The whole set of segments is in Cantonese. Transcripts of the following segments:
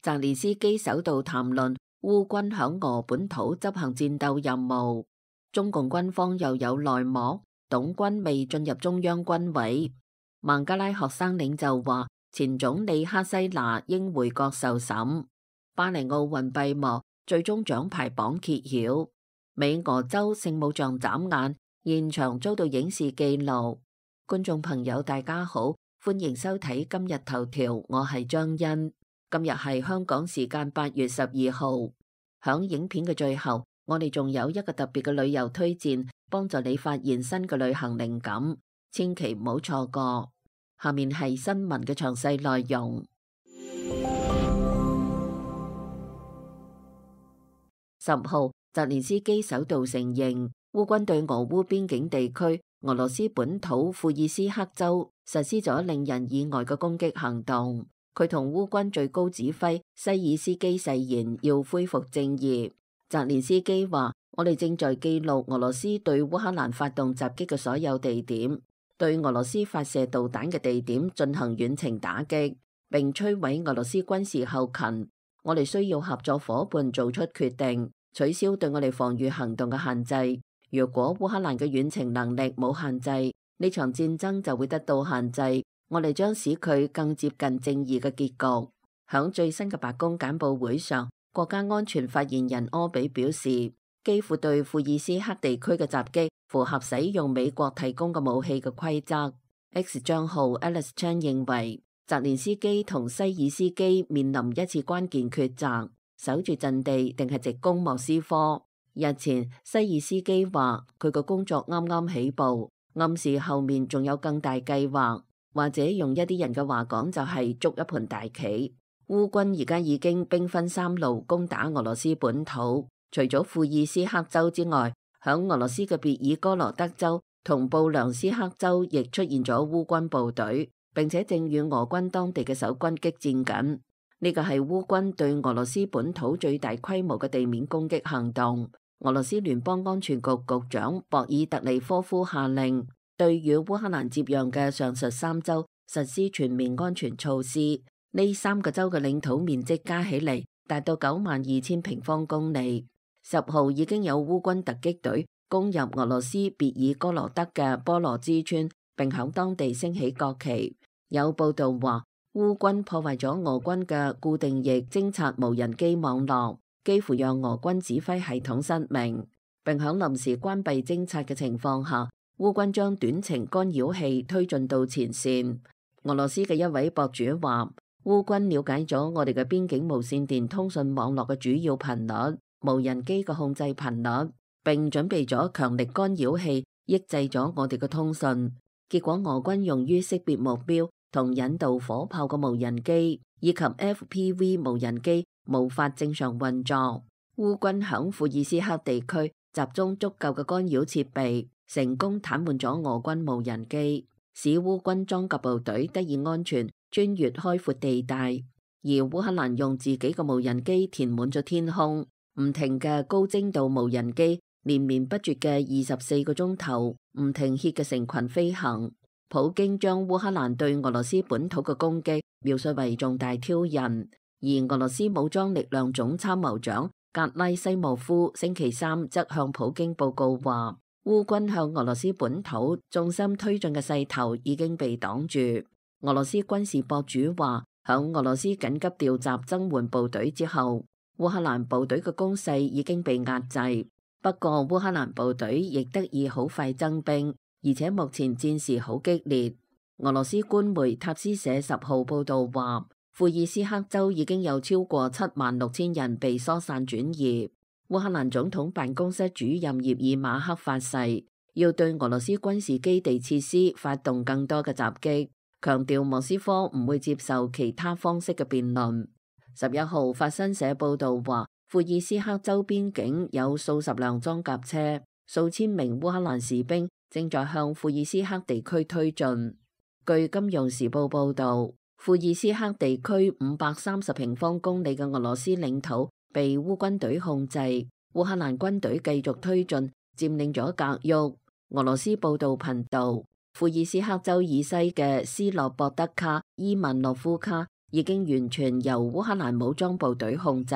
澤連斯基首度談論烏軍響俄本土執行戰鬥任務。中共軍方又有內幕，董軍未進入中央軍委。孟加拉學生領袖話，前總理哈西娜應回國受審。巴黎奧運閉幕，最終獎牌榜揭曉。美俄州聖母像眨眼，現場遭到影視記錄。觀眾朋友大家好，歡迎收睇今日頭條，我係張欣。今日係香港時間8月12號。響影片嘅最後，我哋仲有一個特別嘅旅遊推薦，幫助你發現新嘅旅行靈感，千祈唔好錯過。下面係新聞嘅詳細內容。10號，澤連斯基首度承認烏軍對俄烏邊境地區俄羅斯本土庫爾斯克州實施咗令人意外嘅攻擊行動。佢同烏軍最高指揮西爾斯基誓言要恢復正義。澤連斯基話：我哋正在記錄俄羅斯對烏克蘭發動襲擊嘅所有地點，對俄羅斯發射導彈嘅地點進行遠程打擊，並摧毀俄羅斯軍事後勤。我哋需要合作夥伴做出決定，取消對我哋防禦行動嘅限制。如果烏克蘭嘅遠程能力冇限制，呢場戰爭就會得到限制。我哋將使佢更接近正義嘅結局。響最新嘅白宮簡報會上，國家安全發言人柯比表示，基輔對庫爾斯克地區嘅襲擊符合使用美國提供嘅武器嘅規則。X 賬號 Alice Chan 認為，澤連斯基同西爾斯基面臨一次關鍵抉擇，守住陣地定係直攻莫斯科。日前，西爾斯基話佢個工作啱啱起步，暗示後面仲有更大計劃，或者用一啲人嘅話講就係捉一盤大棋。烏軍而家已經兵分三路攻打俄羅斯本土，除咗庫爾斯克州之外，響俄羅斯嘅別爾哥羅德州同布良斯克州亦出現咗烏軍部隊，並且正與俄軍當地嘅守軍激戰緊。呢個係烏軍對俄羅斯本土最大規模嘅地面攻擊行動。俄羅斯聯邦安全局局長博爾特尼科夫下令，對與烏克蘭接壤嘅上述3州實施全面安全措施。呢3個州嘅領土面積加起嚟達到92000平方公里。10號已經有烏軍突擊隊攻入俄羅斯別爾哥羅德嘅波羅茲村，並響當地升起國旗。有報道話，烏軍破壞咗俄軍嘅固定翼偵察無人機網絡，幾乎讓俄軍指揮系統失明，並響臨時關閉偵察嘅情況下，烏軍將短程干擾器推進到前線。俄羅斯嘅一位博主話，烏軍了解咗我哋嘅邊境無線電通訊網絡嘅主要頻率、無人機嘅控制頻率，並準備咗強力干擾器抑制咗我哋嘅通訊。結果俄軍用於識別目標同引導火炮嘅無人機以及 FPV 無人機無法正常運作。烏軍響庫爾斯克地區集中足夠嘅干擾設備，成功癱瘓咗俄軍無人機，使烏軍裝甲部隊得以安全穿越開闊地帶。而烏克蘭用自己嘅無人機填滿咗天空，唔停嘅高精度無人機連綿不絕嘅24個鐘頭唔停歇嘅成群飛行。普京將烏克蘭對俄羅斯本土嘅攻擊描述為重大挑釁，而俄羅斯武裝力量總參謀長格拉西莫夫星期3則向普京報告話，烏軍向俄羅斯本土重心推進嘅勢頭已經被擋住。俄羅斯軍事博主話，響俄羅斯緊急調集增援部隊之後，烏克蘭部隊嘅攻勢已經被壓制。不過烏克蘭部隊亦得以好快增兵，而且目前戰事好激烈。俄羅斯官媒塔斯社10號報道話，庫爾斯克州已經有超過76000人被疏散轉移。烏克蘭總統辦公室主任葉爾馬克發誓，要對俄羅斯軍事基地設施發動更多嘅襲擊，強調莫斯科唔會接受其他方式嘅辯論。11號法新社報道話，庫爾斯克州邊境有數十輛裝甲車，數千名烏克蘭士兵正在向庫爾斯克地區推進。據金融時報報道，庫爾斯克地區530平方公里嘅俄羅斯領土被烏軍隊控制，烏克蘭軍隊繼續推進，佔領咗格沃。俄羅斯報道頻道，庫爾斯克州以西嘅斯洛博德卡、伊萬諾夫卡已經完全由烏克蘭武裝部隊控制。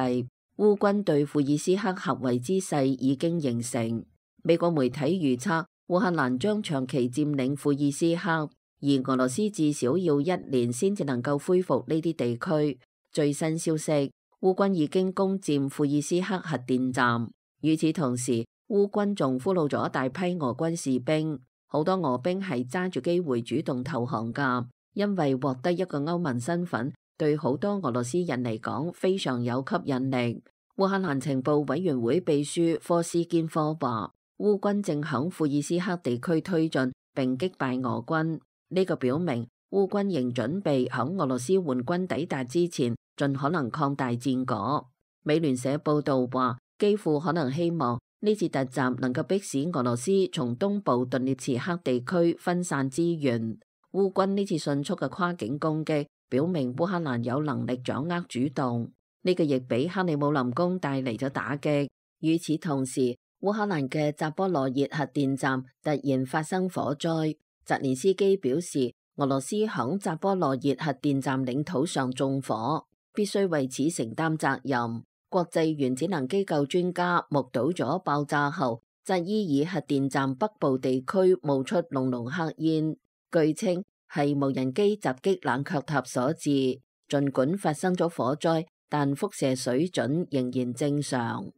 烏軍對庫爾斯克合圍之勢已經形成。美國媒體預測，烏克蘭將長期佔領庫爾斯克，而俄羅斯至少要1年先至能夠恢復呢啲地區。最新消息，烏軍已經攻佔庫爾斯克核電站。與此同時，烏軍仲俘虜咗大批俄軍士兵，好多俄兵係揸住機會主動投降㗎，因為獲得一個歐盟身份，對好多俄羅斯人嚟講非常有吸引力。烏克蘭情報委員會秘書科斯堅科話，烏軍正響庫爾斯克地區推進並擊敗俄軍，呢個表明烏軍仍準備響俄羅斯援軍抵達之前盡可能擴大戰果。美聯社報道話，基輔可能希望呢次突襲能夠迫使俄羅斯從東部頓涅茨克地區分散資源。烏軍呢次迅速嘅跨境攻擊表明烏克蘭有能力掌握主動，呢個亦俾克里姆林宮帶嚟咗打擊。與此同時，烏克蘭嘅扎波羅熱核電站突然發生火災，澤連斯基表示俄羅斯響扎波羅熱核電站領土上縱火，必須為此承擔責任。國際原子能機構專家目睹咗爆炸後，扎伊爾核電站北部地區冒出濃濃黑煙，據稱係無人機襲擊冷卻塔所致。儘管發生咗火災，但輻射水準仍然正常。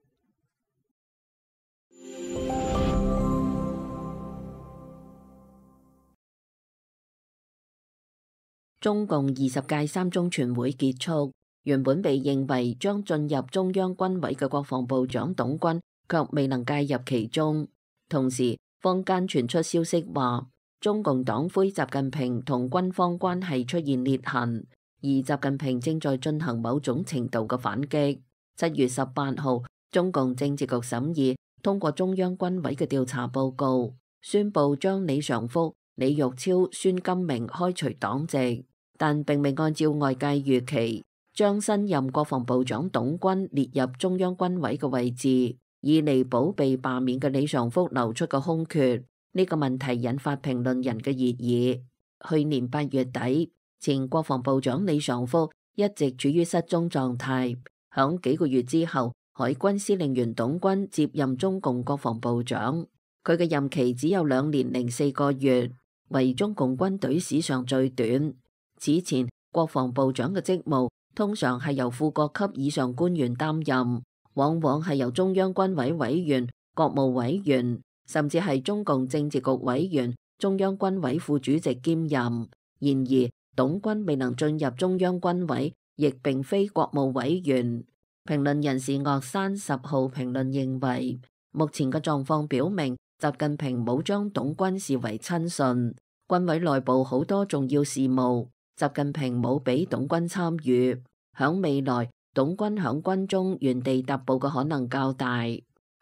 中共20屆3中全會結束，原本被認為將進入中央軍委嘅國防部長董軍卻未能介入其中。同時，坊間傳出消息話，中共黨魁習近平同軍方關係出現裂痕，而習近平正在進行某種程度嘅反擊。7月18號，中共政治局審議通過中央軍委嘅調查報告，宣布將李尚福、李玉超、孫金明開除黨籍，但並未按照外界預期將新任國防部長董軍列入中央軍委嘅位置，以彌補被罷免嘅李尚福流出嘅空缺。呢個問題引發評論人嘅熱議。去年8月底，前國防部長李尚福一直處於失蹤狀態，響幾個月之後，海軍司令員董軍接任中共國防部長，佢嘅任期只有2年零4個月，為中共軍隊史上最短。此前，國防部長嘅職務通常係由副國級以上官員擔任，往往係由中央軍委委員、國務委員，甚至係中共政治局委員、中央軍委副主席兼任。然而，董軍未能進入中央軍委，亦並非國務委員。評論人士岳山10號評論認為，目前嘅狀況表明，習近平冇將董軍視為親信，軍委內部好多重要事務，習近平冇俾董軍參與。響未來，董軍響軍中原地踏步嘅可能較大。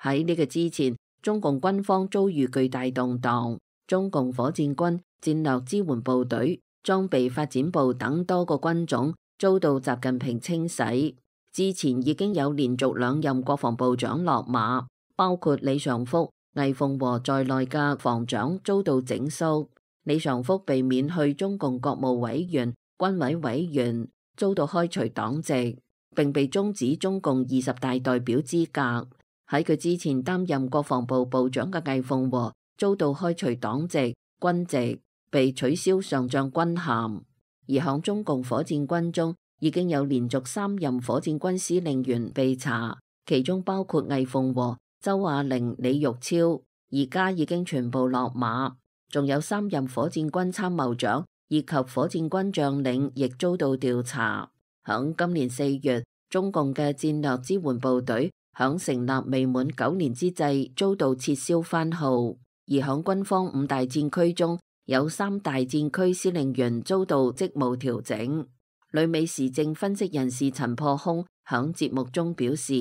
喺呢個之前，中共軍方遭遇巨大動盪，中共火箭軍、戰略支援部隊、裝備發展部等多個軍種遭到習近平清洗。之前已經有連續2任國防部長落馬，包括李尚福、魏鳳和在內嘅防長遭到整肅。李尚福被免去中共國務委員、軍委委員，遭到開除黨籍，並被終止中共20大代表資格。喺佢之前擔任國防部部長嘅魏鳳和遭到開除黨籍、軍籍，被取消上將軍銜。而響中共火箭軍中，已經有連續3任火箭軍司令員被查，其中包括魏鳳和、周亞玲、李玉超，而家已經全部落馬。仲有3任火箭軍參謀長以及火箭軍將領亦遭到調查。響今年4月，中共嘅戰略支援部隊響成立未滿9年之際遭到撤銷番號，而響軍方5大戰區中有3大戰區司令員遭到職務調整。旅美時政分析人士陳破空響節目中表示，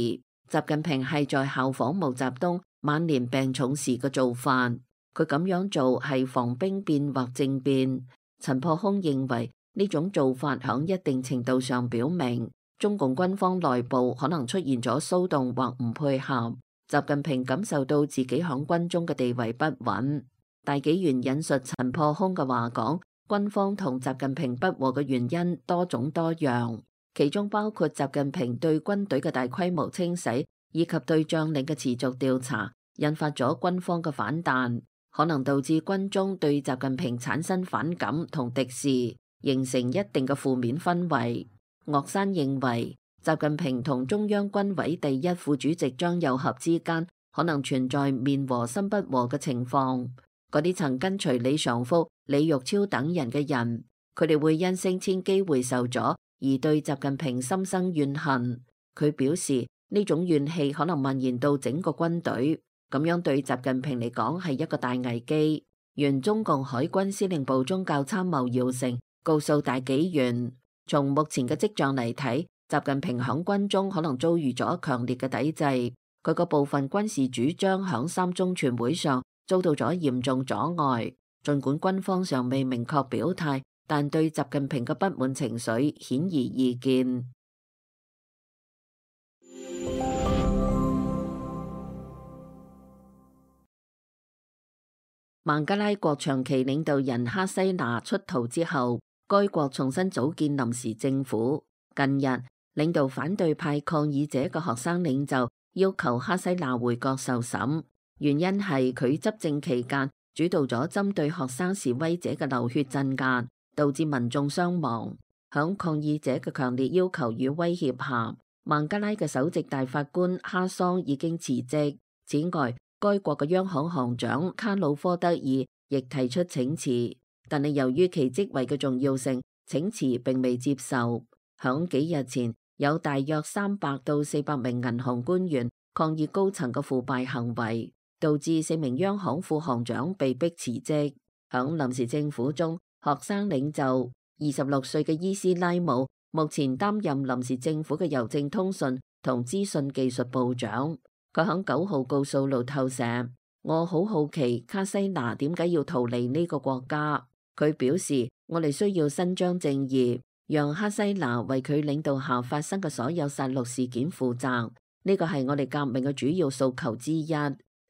習近平係在效仿毛澤東晚年病重時嘅做法，佢咁樣做係防兵變或政變。陳破空認為呢種做法響一定程度上表明中共軍方內部可能出現咗騷動或唔配合，習近平感受到自己響軍中嘅地位不穩。大紀元引述陳破空嘅話講，軍方同習近平不和嘅原因多種多樣，其中包括習近平對軍隊嘅大規模清洗，以及對將領嘅持續調查，引發咗軍方嘅反彈，可能導致軍中對習近平產生反感同敵視，形成一定嘅負面氛圍。岳山認為，習近平同中央軍委第一副主席張又俠之間可能存在面和心不和嘅情況。嗰啲曾跟隨李尚福、李玉超等人嘅人，佢哋會因升遷機會受阻而對習近平心生怨恨。佢表示呢種怨氣可能蔓延到整個軍隊，咁樣對習近平嚟講係一個大危機。原中共海軍司令部宗教參謀姚成告訴大紀元，從目前嘅跡象嚟睇，習近平響軍中可能遭遇咗強烈嘅抵制，佢個部分軍事主張響三中全會上遭到咗嚴重阻礙。儘管軍方尚未明確表態，但對習近平嘅不滿情緒顯而易見。孟加拉國長期領導人哈西娜出逃之後，該國重新組建臨時政府。近日，領導反對派抗議者嘅學生領袖要求哈西娜回國受審，原因係佢執政期間主導咗針對學生示威者嘅流血鎮壓，導致民眾傷亡。響抗議者嘅強烈要求與威脅下，孟加拉嘅首席大法官哈桑已經辭職。此外，該國嘅央行行長卡魯科德爾亦提出請辭，但係由於其職位嘅重要性，請辭並未接受。響幾日前，有大約300到400名銀行官員抗議高層嘅腐敗行為，導致4名央行副行長被迫辭職。響臨時政府中，學生領袖26歲嘅伊斯拉姆目前擔任臨時政府嘅郵政通訊同資訊技術部長。佢響9號告訴路透社：我好好奇卡西娜點解要逃離呢個國家。佢表示：我哋需要伸張正義，讓哈西娜為佢領導下發生嘅所有殺戮事件負責。呢個係我哋革命嘅主要訴求之一。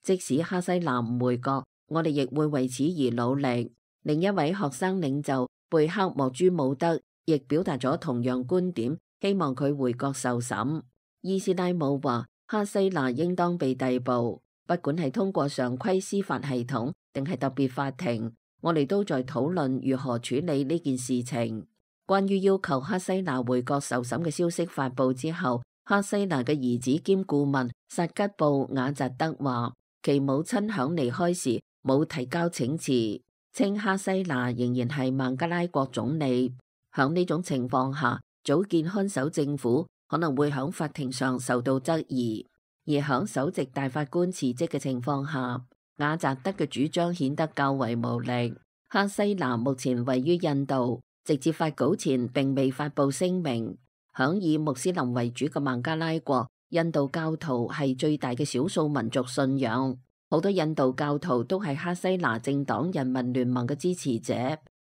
即使哈西娜唔回國，我哋亦會為此而努力。另一位學生領袖貝克莫朱姆德亦表達咗同樣觀點，希望佢回國受審。伊斯拉姆話：哈西娜應當被逮捕，不管係通過常規司法系統定係特別法庭，我哋都在討論如何處理呢件事情。關於要求哈西娜回國受審嘅消息發佈之後，哈西娜嘅兒子兼顧問薩吉布瓦扎德話，其母親響離開時冇提交請辭，稱哈西娜仍然係孟加拉國總理。響呢種情況下，組建看守政府可能會響法庭上受到質疑，而響首席大法官辭職嘅情況下，瓦扎德嘅主張顯得較為無力。哈西娜目前位於印度，直至發稿前並未發布聲明。響以穆斯林為主嘅孟加拉國，印度教徒係最大嘅少數民族信仰，好多印度教徒都係哈西娜政黨人民聯盟嘅支持者。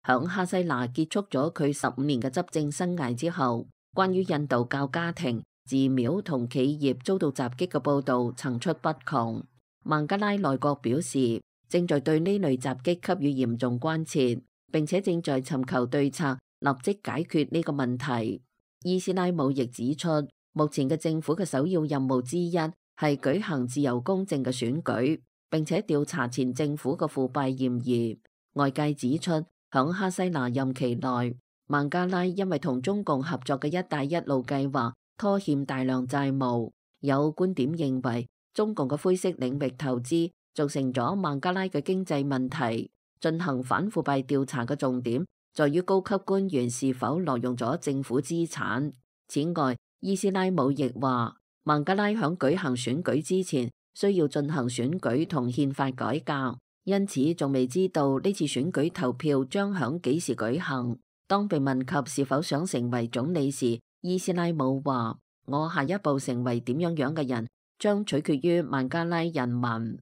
響哈西娜結束咗佢15年嘅執政生涯之後，關於印度教家庭、寺廟同企業遭到襲擊嘅報道層出不窮。孟加拉內閣表示，正在對呢類襲擊給予嚴重關切，並且正在尋求對策，立即解決呢個問題。伊斯拉姆亦指出，目前嘅政府嘅首要任務之一係舉行自由公正嘅選舉，並且調查前政府嘅腐敗嫌疑。外界指出，響哈西娜任期內，孟加拉因為同中共合作嘅一帶一路計劃拖欠大量債務。有觀點認為，中共嘅灰色領域投資造成咗孟加拉嘅經濟問題。進行反腐敗調查嘅重點在於高級官員是否挪用咗政府資產。此外，伊斯拉姆亦話，孟加拉響舉行選舉之前需要進行選舉同憲法改革，因此仲未知道呢次選舉投票將響幾時舉行。當被問及是否想成為總理時，伊斯拉姆話：我下一步成為點樣樣嘅人，將取決於孟加拉人民。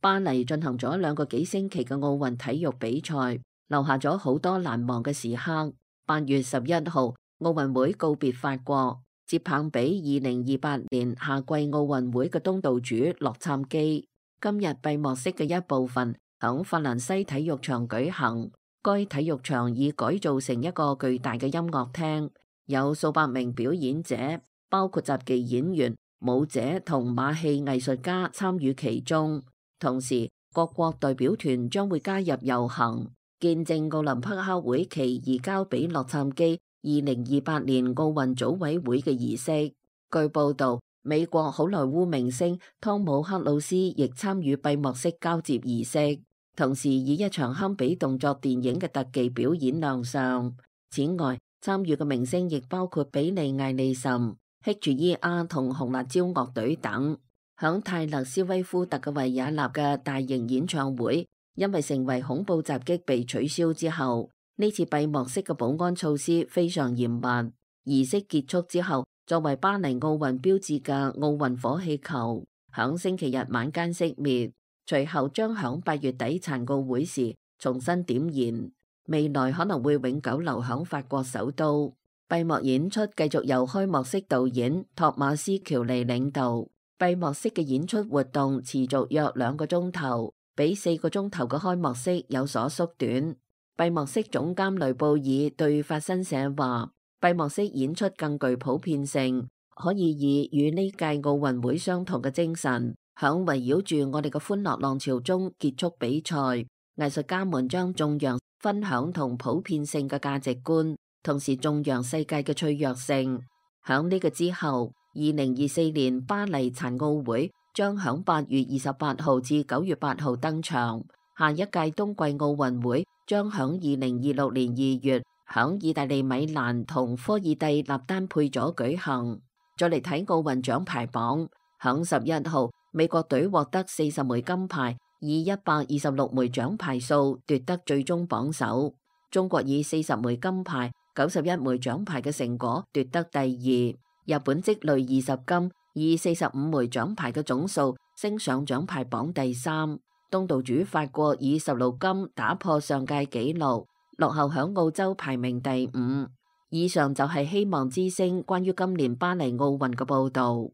巴黎進行咗2個幾星期嘅奧運體育比賽，留下咗好多難忘嘅時刻。8月11號，奧運會告別法國，接棒俾2028年夏季奧運會嘅東道主洛杉磯。今日閉幕式嘅一部分響法蘭西體育場舉行，該體育場已改造成一個巨大嘅音樂廳，有數百名表演者，包括雜技演員、舞者同馬戲藝術家參與其中。同時，各國代表團將會加入遊行，見證奧林匹克會旗移交俾洛杉磯2028年奧運組委會嘅儀式。據報道，美國好萊塢明星湯姆克魯斯亦參與閉幕式交接儀式，同時以一場堪比動作電影嘅特技表演亮相。此外，參與嘅明星亦包括比利艾利森、H.E.R. 同紅辣椒樂隊等。響泰勒斯威夫特嘅維也納嘅大型演唱會，因為成為恐怖襲擊被取消之後，呢次閉幕式嘅保安措施非常嚴密。儀式結束之後，作為巴黎奧運標誌嘅奧運火氣球響星期日晚間熄滅，隨後將響8月底殘奧會時重新點燃，未來可能會永久留響法國首都。閉幕演出繼續由開幕式導演托馬斯喬尼領導。閉幕式嘅演出活動持續約2個鐘頭，比4個鐘頭嘅開幕式有所縮短。閉幕式總監雷布爾對法新社話，閉幕式演出更具普遍性，可以以與呢屆奧運會相同嘅精神，響圍繞住我哋嘅歡樂浪潮中結束比賽。藝術家們將頌揚分享同普遍性嘅價值觀，同時頌揚世界嘅脆弱性。響呢個之後，2024年巴黎殘奧會將響8月28號至9月8號登場，下一屆冬季奧運會將響2026年2月響意大利米蘭同科爾蒂納丹佩佐舉行。再嚟睇奧運獎牌榜，響11號，美國隊獲得40枚金牌，以126枚獎牌數奪得最終榜首。中國以40枚金牌、91枚獎牌嘅成果奪得第二。日本積累20金，以45枚獎牌嘅總數升上獎牌榜第3。東道主法國以16金打破上屆紀錄，落後響澳洲排名第5。以上就係希望之聲關於今年巴黎奧運嘅報道。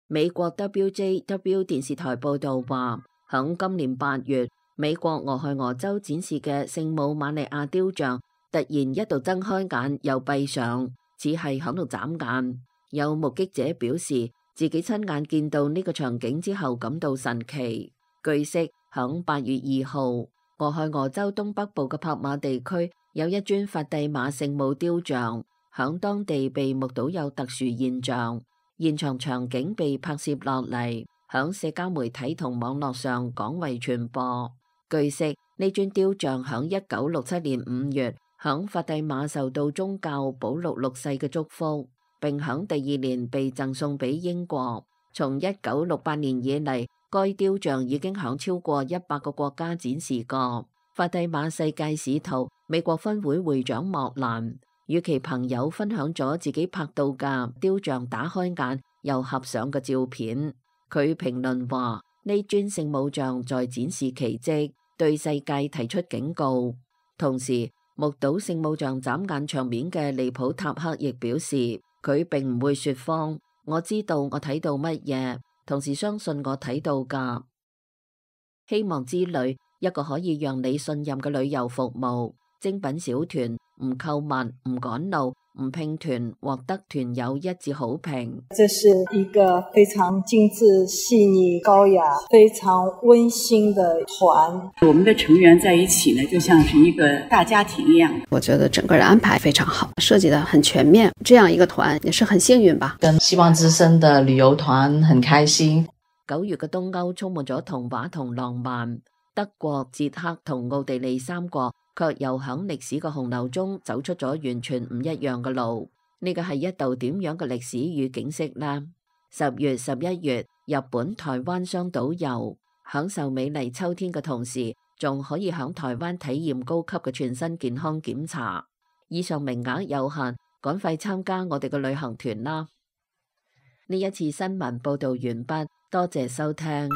美國 WJW 電視台報道話，響今年8月，美國俄亥俄州展示嘅聖母瑪利亞雕像突然一度睜開眼又閉上，似係響度眨眼。有目擊者表示，自己親眼見到呢個場景之後感到神奇。據悉，響8月2號，俄亥俄州東北部嘅帕馬地區有一尊法蒂瑪聖母雕像，響當地被目睹有特殊現象，現場場景被拍攝落嚟，響社交媒體同網絡上廣為傳播。據悉，呢尊雕像響1967年5月，響法蒂瑪受到宗教保祿6世嘅祝福，並響第2年被贈送俾英國。從1968年以嚟，該雕像已經響超過100個國家展示過。法蒂瑪世界使徒美國分會會長莫蘭與其朋友分享咗自己拍到嘅雕像打開眼又合上嘅照片。佢評論話：呢尊聖母像在展示奇蹟，對世界提出警告。同時，目睹聖母像眨眼場面嘅利普塔克亦表示，佢並唔會說謊。我知道我睇到乜嘢，同時相信我睇到㗎。希望之旅，一個可以讓你信任嘅旅遊服務，精品小團，唔購物，唔趕路，唔拼團，獲得團友一致好評。這是一個非常精緻、細膩、高雅、非常溫馨的團。我們的成員在一起呢，就像是一個大家庭一樣。我覺得整個的安排非常好，設計得很全面。這樣一個團也是很幸運吧。跟希望之聲的旅遊團很開心。9月嘅東歐充滿咗童話同浪漫，德國、捷克同奧地利3國卻又響歷史嘅洪流中走出咗完全唔一樣嘅路。呢個係一道點樣嘅歷史與景色呢？10月、11月，日本、台灣雙島遊，享受美麗秋天嘅同時，仲可以響台灣體驗高級嘅全身健康檢查。以上名額有限，趕快參加我哋嘅旅行團啦！呢一次新聞報道完畢，多謝收聽。